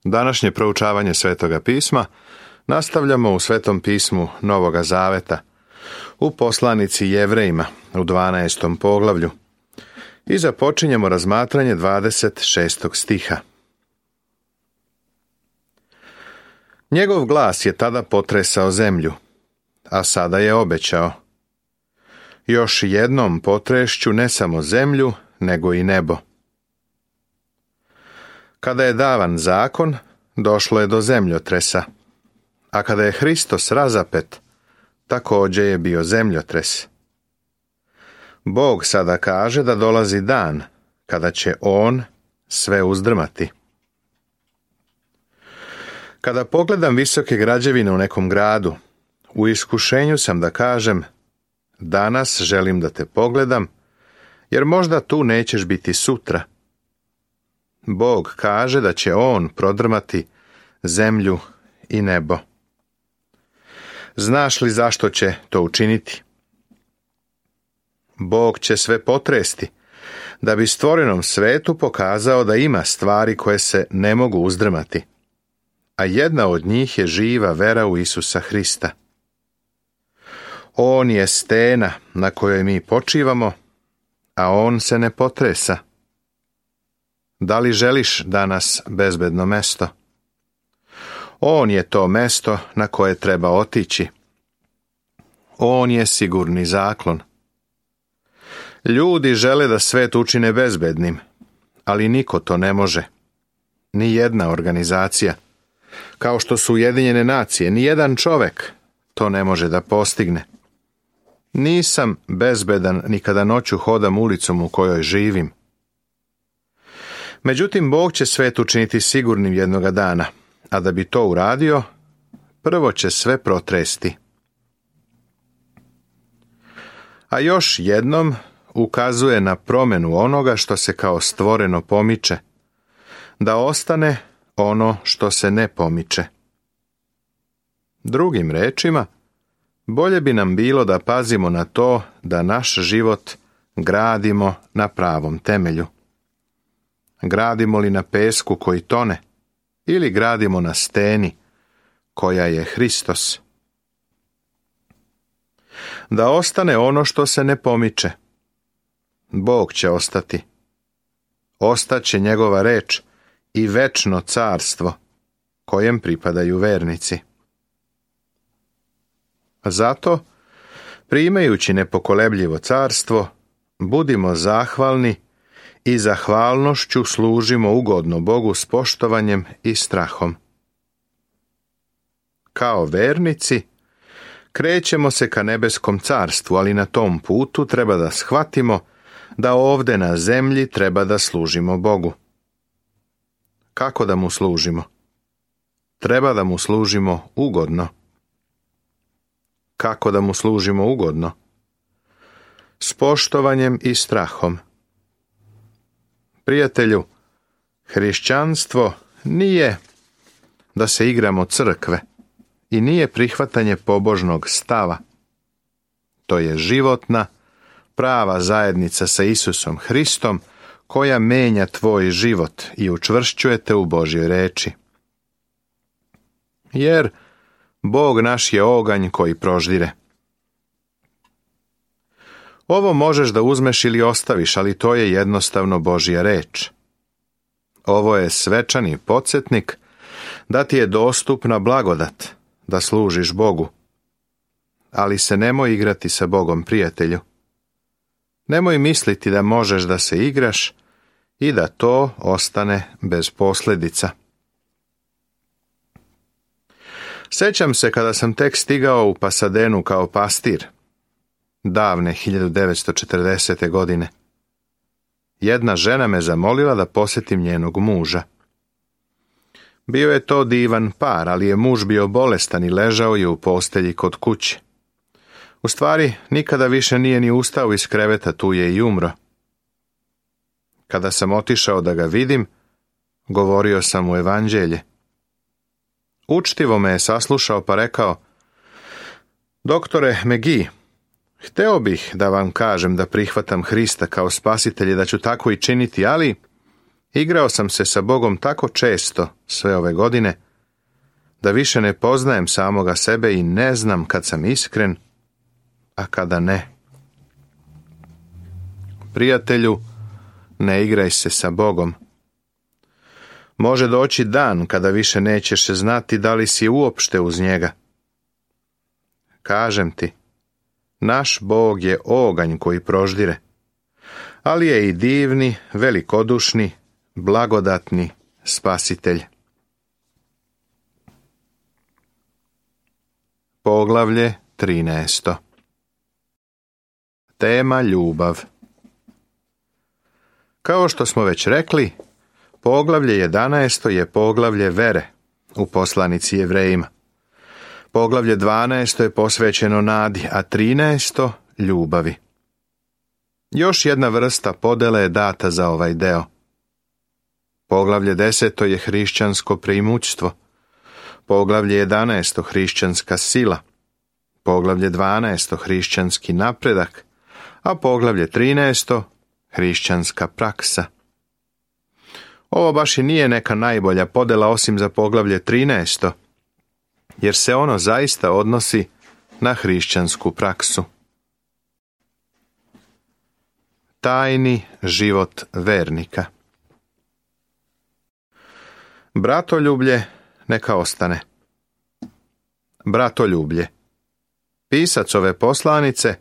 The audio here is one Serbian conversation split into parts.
Današnje proučavanje Svetoga pisma nastavljamo u Svetom pismu Novoga Zaveta, u poslanici Jevrejima u 12. poglavlju i započinjemo razmatranje 26. stiha. Njegov glas je tada potresao zemlju, a sada je obećao: još jednom potrešću ne samo zemlju, nego i nebo. Kada je davan zakon, došlo je do zemljotresa, a kada je Hristos razapet, također je bio zemljotres. Bog sada kaže da dolazi dan kada će On sve uzdrmati. Kada pogledam visoke građevine u nekom gradu, u iskušenju sam da kažem: danas želim da te pogledam, jer možda tu nećeš biti sutra. Bog kaže da će On prodrmati zemlju i nebo. Znaš li zašto će to učiniti? Bog će sve potresti, da bi stvorenom svetu pokazao da ima stvari koje se ne mogu uzdrmati, a jedna od njih je živa vera u Isusa Hrista. On je stena na kojoj mi počivamo, a On se ne potresa. Da li želiš danas bezbedno mesto? On je to mesto na koje treba otići. On je sigurni zaklon. Ljudi žele da svet učine bezbednim, ali niko to ne može. Ni jedna organizacija, kao što su Ujedinjene nacije, ni jedan čovek to ne može da postigne. Nisam bezbedan ni kada noću hodam ulicom u kojoj živim. Međutim, Bog će svet učiniti sigurnim jednoga dana, a da bi to uradio, prvo će sve protresti. A još jednom ukazuje na promjenu onoga što se kao stvoreno pomiče, da ostane ono što se ne pomiče. Drugim rečima, bolje bi nam bilo da pazimo na to da naš život gradimo na pravom temelju. Gradimo li na pesku koji tone, ili gradimo na steni koja je Hristos? Da ostane ono što se ne pomiče. Bog će ostati. Ostaće njegova reč i večno carstvo kojem pripadaju vernici. Zato, primajući nepokolebljivo carstvo, budimo zahvalni i zahvalnošću služimo ugodno Bogu s poštovanjem i strahom. Kao vernici, krećemo se ka nebeskom carstvu, ali na tom putu treba da shvatimo da ovde na zemlji treba da služimo Bogu. Kako da mu služimo? Treba da mu služimo ugodno. Kako da mu služimo ugodno? S poštovanjem i strahom. Prijatelju, hrišćanstvo nije da se igramo crkve i nije prihvatanje pobožnog stava. To je životna, prava zajednica sa Isusom Hristom koja menja tvoj život i učvršćuje te u Božjoj reči. Jer Bog naš je oganj koji proždire. Ovo možeš da uzmeš ili ostaviš, ali to je jednostavno Božja reč. Ovo je svečani podsjetnik da ti je dostupna blagodat, da služiš Bogu. Ali se nemoj igrati sa Bogom, prijatelju. Nemoj misliti da možeš da se igraš i da to ostane bez posljedica. Sećam se kada sam tek stigao u Pasadenu kao pastir, davne 1940. godine. Jedna žena me zamolila da posjetim njenog muža. Bio je to divan par, ali je muž bio bolestan i ležao je u postelji kod kuće. U stvari, nikada više nije ni ustao iz kreveta, tu je i umro. Kada sam otišao da ga vidim, govorio sam mu evanđelje. Učtivo me je saslušao pa rekao: doktore McGee, hteo bih da vam kažem da prihvatam Hrista kao spasitelja, da ću tako i činiti, ali Igrao sam se sa Bogom tako često sve ove godine, da više ne poznajem samoga sebe i ne znam kad sam iskren, a kada ne. Prijatelju, ne igraj se sa Bogom. Može doći dan kada više nećeš znati da li si uopšte uz njega. Kažem ti, naš Bog je oganj koji proždire, ali je i divni, velikodušni, blagodatni spasitelj. Poglavlje 13. Tema ljubav. Kao što smo već rekli, poglavlje 11. je poglavlje vere u poslanici Jevrejima. Poglavlje 12. je posvećeno nadi, a 13. ljubavi. Još jedna vrsta podele je data za ovaj deo. Poglavlje 10. je hrišćansko preimućstvo. Poglavlje 11. hrišćanska sila. Poglavlje 12. hrišćanski napredak, a poglavlje 13. hrišćanska praksa. Ovo baš i nije neka najbolja podela osim za poglavlje 13. jer se ono zaista odnosi na hrišćansku praksu. Tajni život vernika. Bratoljublje neka ostane. Bratoljublje. Pisac ove poslanice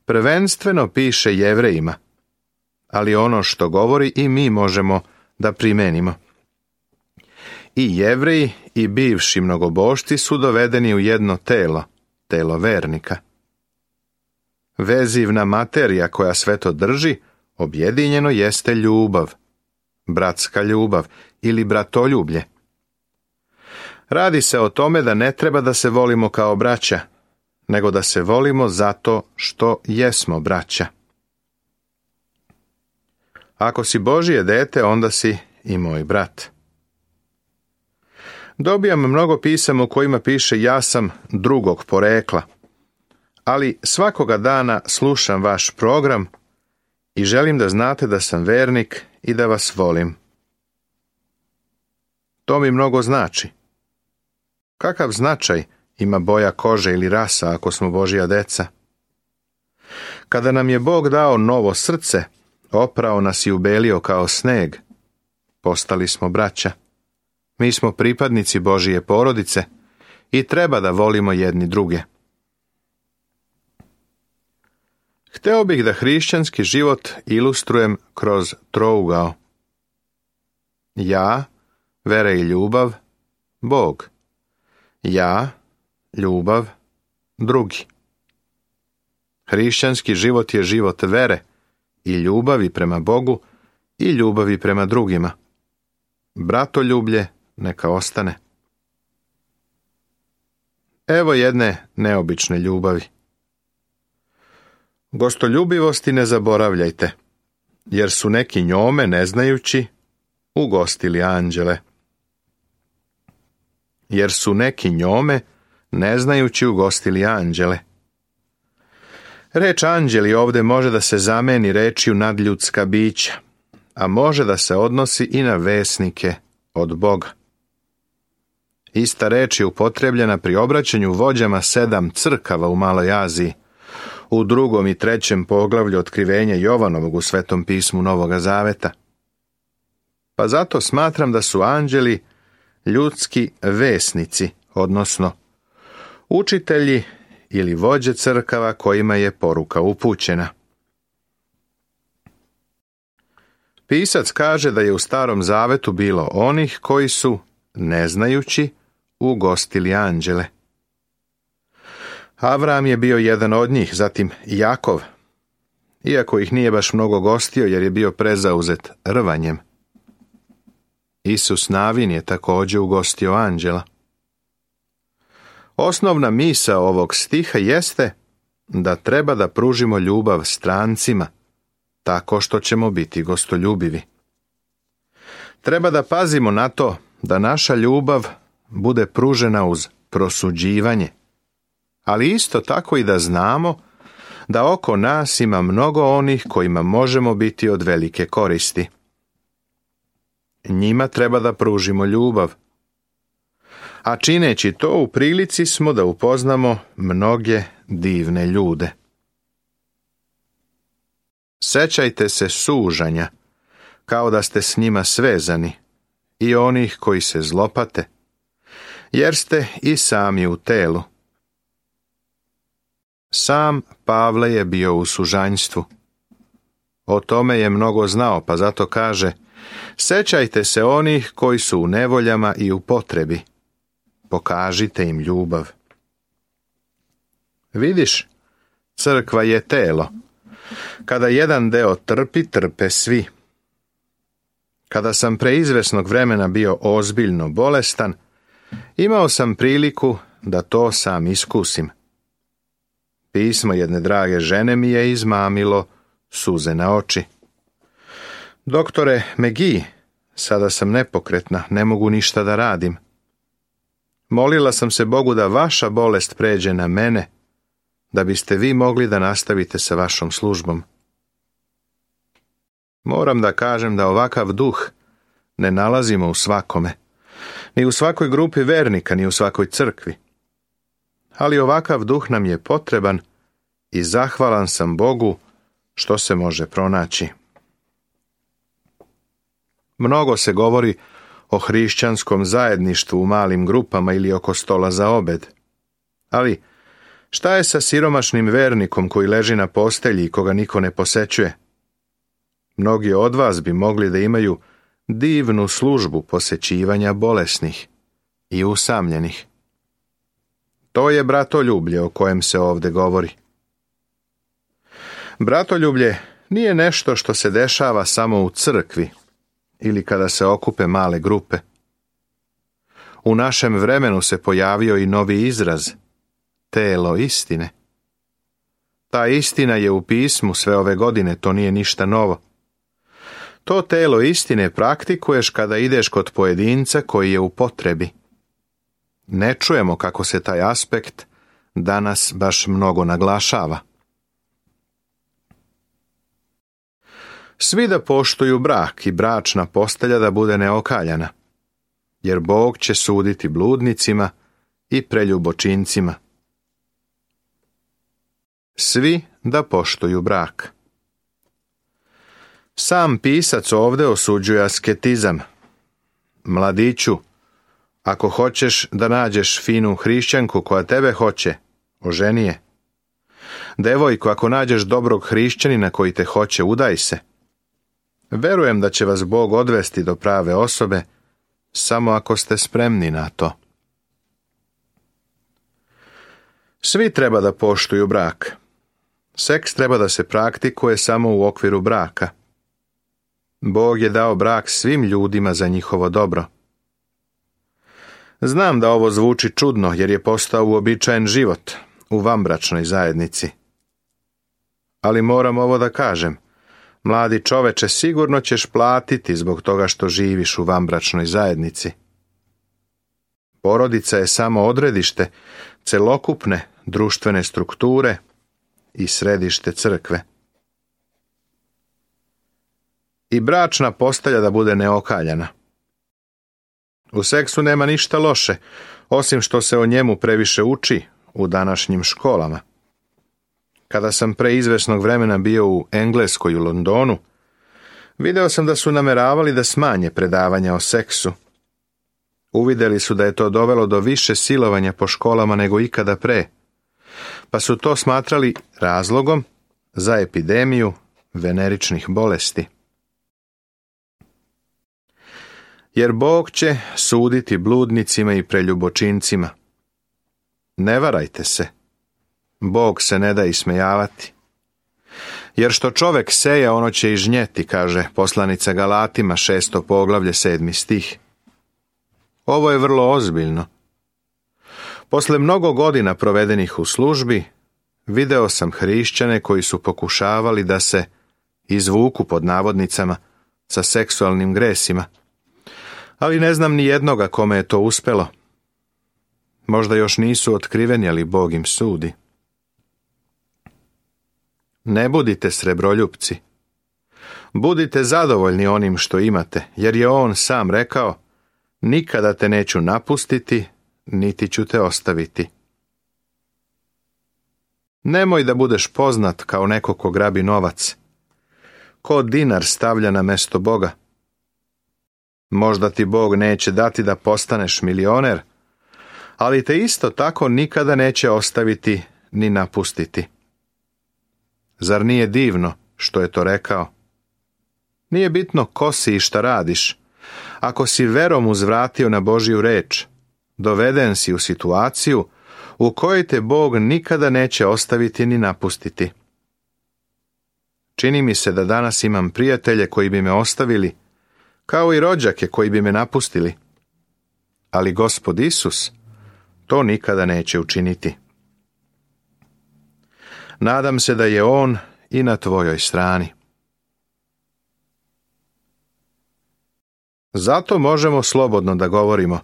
prvenstveno piše Jevrejima, ali ono što govori i mi možemo da primenimo. I Jevreji i bivši mnogobošci su dovedeni u jedno telo, telo vernika. Vezivna materija koja sve to drži, objedinjeno jeste ljubav, bratska ljubav ili bratoljublje. Radi se o tome da ne treba da se volimo kao braća, nego da se volimo zato što jesmo braća. Ako si Božje dete, onda si i moj brat. Dobijam mnogo pisama u kojima piše ja sam drugog porekla, ali svakoga dana slušam vaš program i želim da znate da sam vernik i da vas volim. To mi mnogo znači. Kakav značaj ima boja kože ili rasa ako smo Božja deca? Kada nam je Bog dao novo srce, oprao nas i ubelio kao sneg, postali smo braća. Mi smo pripadnici Božije porodice i treba da volimo jedni druge. Hteo bih da hrišćanski život ilustrujem kroz trougao. Ja, vera i ljubav, Bog. Ja, ljubav, drugi. Hrišćanski život je život vere i ljubavi prema Bogu i ljubavi prema drugima. Bratoljublje neka ostane. Evo jedne neobične ljubavi. Gostoljubivosti ne zaboravljajte, jer su neki njome, ne znajući, ugostili anđele. Jer su neki njome, ne znajući, ugostili anđele. Reč anđeli ovde može da se zameni rečju nadljudska bića, a može da se odnosi i na vesnike od Boga. Ista reč je upotrebljena pri obraćanju vođama 7 crkava u Maloj Aziji, u 2. i 3. poglavlju otkrivenja Jovanovog u Svetom pismu Novoga Zaveta. Pa zato smatram da su anđeli ljudski vesnici, odnosno učitelji ili vođe crkava kojima je poruka upućena. Pisac kaže da je u Starom Zavetu bilo onih koji su, ne znajući, ugostili anđele. Avram je bio jedan od njih, zatim Jakov, iako ih nije baš mnogo gostio jer je bio prezauzet rvanjem. Isus Navin je također ugostio anđela. Osnovna misao ovog stiha jeste da treba da pružimo ljubav strancima, tako što ćemo biti gostoljubivi. Treba da pazimo na to da naša ljubav bude pružena uz prosuđivanje, ali isto tako i da znamo da oko nas ima mnogo onih kojima možemo biti od velike koristi. Njima treba da pružimo ljubav. A čineći to u prilici smo da upoznamo mnoge divne ljude. Sećajte se sužanja, kao da ste s njima svezani, i onih koji se zlopate, jer ste i sami u telu. Sam Pavle je bio u sužanjstvu. O tome je mnogo znao, pa zato kaže: sećajte se onih koji su u nevoljama i u potrebi. Pokažite im ljubav. Vidiš, crkva je telo. Kada jedan deo trpi, trpe svi. Kada sam pre izvesnog vremena bio ozbiljno bolestan, imao sam priliku da to sam iskusim. Pismo jedne drage žene mi je izmamilo suze na oči. Doktore McGee, sada sam nepokretna, ne mogu ništa da radim. Molila sam se Bogu da vaša bolest pređe na mene, da biste vi mogli da nastavite sa vašom službom. Moram da kažem da ovakav duh ne nalazimo u svakome, ni u svakoj grupi vernika, ni u svakoj crkvi. Ali ovakav duh nam je potreban i zahvalan sam Bogu što se može pronaći. Mnogo se govori o hrišćanskom zajedništvu u malim grupama ili oko stola za obed. Ali šta je sa siromašnim vernikom koji leži na postelji i koga niko ne posećuje? Mnogi od vas bi mogli da imaju divnu službu posećivanja bolesnih i usamljenih. To je bratoljublje o kojem se ovde govori. Bratoljublje nije nešto što se dešava samo u crkvi ili kada se okupe male grupe. U našem vremenu se pojavio i novi izraz, telo istine. Ta istina je u pismu sve ove godine, to nije ništa novo. To telo istine praktikuješ kada ideš kod pojedinca koji je u potrebi. Ne čujemo kako se taj aspekt danas baš mnogo naglašava. Svi da poštuju brak i bračna postelja da bude neokaljana, jer Bog će suditi bludnicima i preljubočincima. Svi da poštuju brak. Sam pisac ovde osuđuje asketizam. Mladiću, ako hoćeš da nađeš finu hrišćanku koja tebe hoće, oženi je. Devojko, ako nađeš dobrog hrišćanina koji te hoće, udaj se. Verujem da će vas Bog odvesti do prave osobe, samo ako ste spremni na to. Svi treba da poštuju brak. Seks treba da se praktikuje samo u okviru braka. Bog je dao brak svim ljudima za njihovo dobro. Znam da ovo zvuči čudno, jer je postao uobičajen život u vanbračnoj zajednici. Ali moram ovo da kažem. Mladi čoveče, sigurno ćeš platiti zbog toga što živiš u vanbračnoj zajednici. Porodica je samo odredište celokupne društvene strukture i središte crkve. I bračna postelja da bude neokaljana. U seksu nema ništa loše, osim što se o njemu previše uči u današnjim školama. Kada sam pre izvesnog vremena bio u Engleskoj u Londonu, video sam da su nameravali da smanje predavanja o seksu. Uvideli su da je to dovelo do više silovanja po školama nego ikada pre, pa su to smatrali razlogom za epidemiju veneričnih bolesti. Jer Bog će suditi bludnicima i preljubočincima. Ne varajte se. Bog se ne da ismejavati. Jer što čovek seje, ono će i žnjeti, kaže poslanica Galatima 6. poglavlje 7. stih. Ovo je vrlo ozbiljno. Posle mnogo godina provedenih u službi, video sam hrišćane koji su pokušavali da se izvuku pod navodnicama sa seksualnim gresima, ali ne znam ni jednoga kome je to uspelo. Možda još nisu otkriveni, ali Bog im sudi. Ne budite srebroljupci. Budite zadovoljni onim što imate, jer je on sam rekao, nikada te neću napustiti, niti ću te ostaviti. Nemoj da budeš poznat kao neko ko grabi novac, ko dinar stavlja na mesto Boga. Možda ti Bog neće dati da postaneš milioner, ali te isto tako nikada neće ostaviti ni napustiti. Zar nije divno što je to rekao? Nije bitno ko si i šta radiš. Ako si verom uzvratio na Božju reč, doveden si u situaciju u kojoj te Bog nikada neće ostaviti ni napustiti. Čini mi se da danas imam prijatelje koji bi me ostavili, kao i rođake koji bi me napustili. Ali Gospod Isus to nikada neće učiniti. Nadam se da je On i na tvojoj strani. Zato možemo slobodno da govorimo,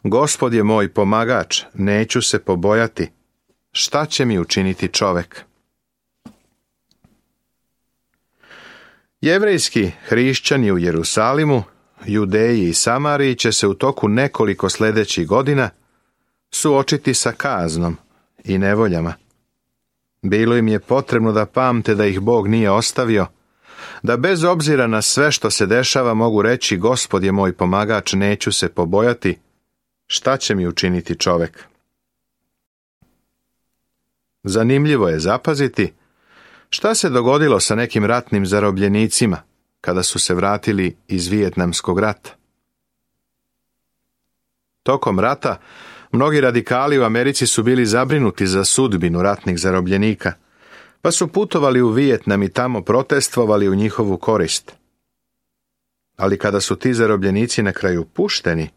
Gospod je moj pomagač, neću se pobojati. Šta će mi učiniti čovek? Jevrejski hrišćani u Jerusalimu, Judeji i Samariji će se u toku nekoliko sljedećih godina suočiti sa kaznom i nevoljama. Bilo im je potrebno da pamte da ih Bog nije ostavio, da bez obzira na sve što se dešava mogu reći, Gospod je moj pomagač, neću se pobojati, šta će mi učiniti čovek? Zanimljivo je zapaziti šta se dogodilo sa nekim ratnim zarobljenicima kada su se vratili iz Vijetnamskog rata. Tokom rata mnogi radikali u Americi su bili zabrinuti za sudbinu ratnih zarobljenika, pa su putovali u Vijetnam i tamo protestvovali u njihovu korist. Ali kada su ti zarobljenici na kraju pušteni,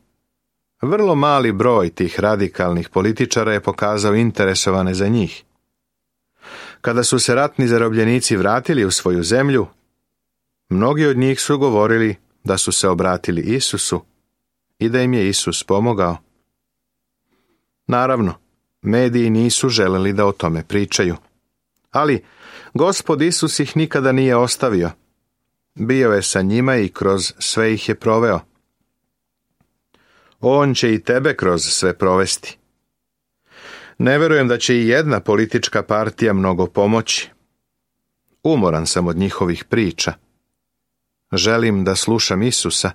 vrlo mali broj tih radikalnih političara je pokazao interesovane za njih. Kada su se ratni zarobljenici vratili u svoju zemlju, mnogi od njih su govorili da su se obratili Isusu i da im je Isus pomogao. Naravno, mediji nisu želeli da o tome pričaju. Ali Gospod Isus ih nikada nije ostavio. Bio je sa njima i kroz sve ih je proveo. On će i tebe kroz sve provesti. Ne verujem da će i jedna politička partija mnogo pomoći. Umoran sam od njihovih priča. Želim da slušam Isusa,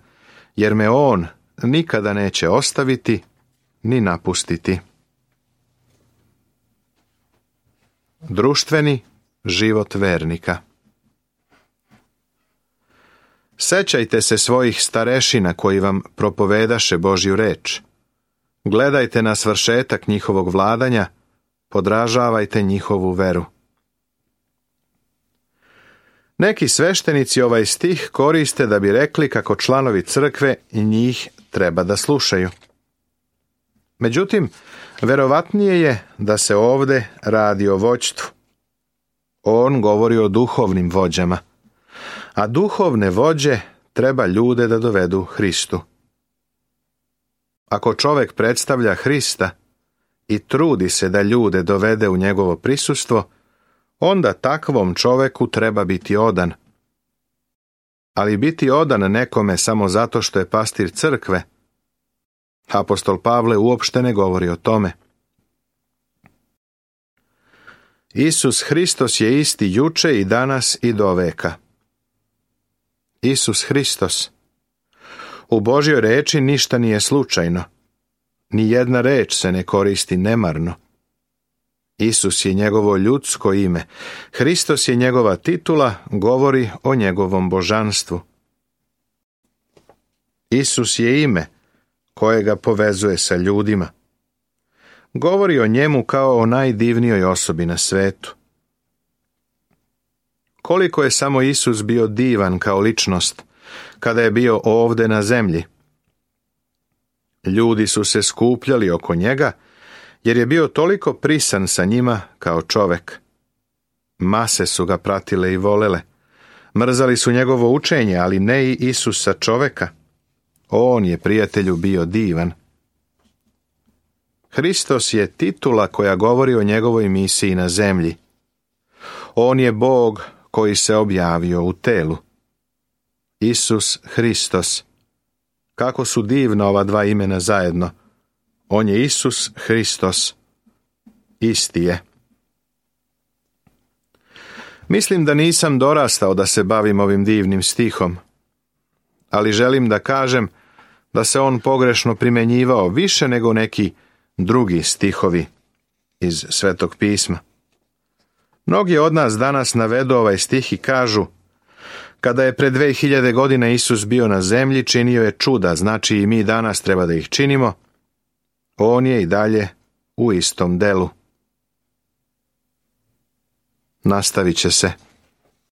jer me On nikada neće ostaviti ni napustiti. Društveni život vernika. Sećajte se svojih starešina koji vam propovedaše Božju reč. Gledajte na svršetak njihovog vladanja, podražavajte njihovu veru. Neki sveštenici ovaj stih koriste da bi rekli kako članovi crkve njih treba da slušaju. Međutim, verovatnije je da se ovde radi o vođstvu. On govori o duhovnim vođama, a duhovne vođe treba ljude da dovedu Hristu. Ako čovek predstavlja Hrista i trudi se da ljude dovede u njegovo prisustvo, onda takvom čoveku treba biti odan. Ali biti odan nekome samo zato što je pastir crkve, apostol Pavle uopšte ne govori o tome. Isus Hristos je isti juče i danas i do veka. Isus Hristos. U Božjoj reči ništa nije slučajno. Ni jedna reč se ne koristi nemarno. Isus je njegovo ljudsko ime. Hristos je njegova titula, govori o njegovom božanstvu. Isus je ime koje ga povezuje sa ljudima. Govori o njemu kao o najdivnijoj osobi na svetu. Koliko je samo Isus bio divan kao ličnost kada je bio ovde na zemlji. Ljudi su se skupljali oko njega jer je bio toliko prisan sa njima kao čovek. Mase su ga pratile i volele. Mrzali su njegovo učenje, ali ne i Isusa čoveka. On je, prijatelju, bio divan. Hristos je titula koja govori o njegovoj misiji na zemlji. On je Bog koji se objavio u telu. Isus Hristos. Kako su divna ova dva imena zajedno. On je Isus Hristos. Isti je. Mislim da nisam dorastao da se bavim ovim divnim stihom, ali želim da kažem da se on pogrešno primjenjivao više nego neki drugi stihovi iz Svetog pisma. Mnogi od nas danas navedu ovaj stih i kažu: kada je pred 2000 godina Isus bio na zemlji, činio je čuda, znači i mi danas treba da ih činimo. On je i dalje u istom delu. Nastavit će se.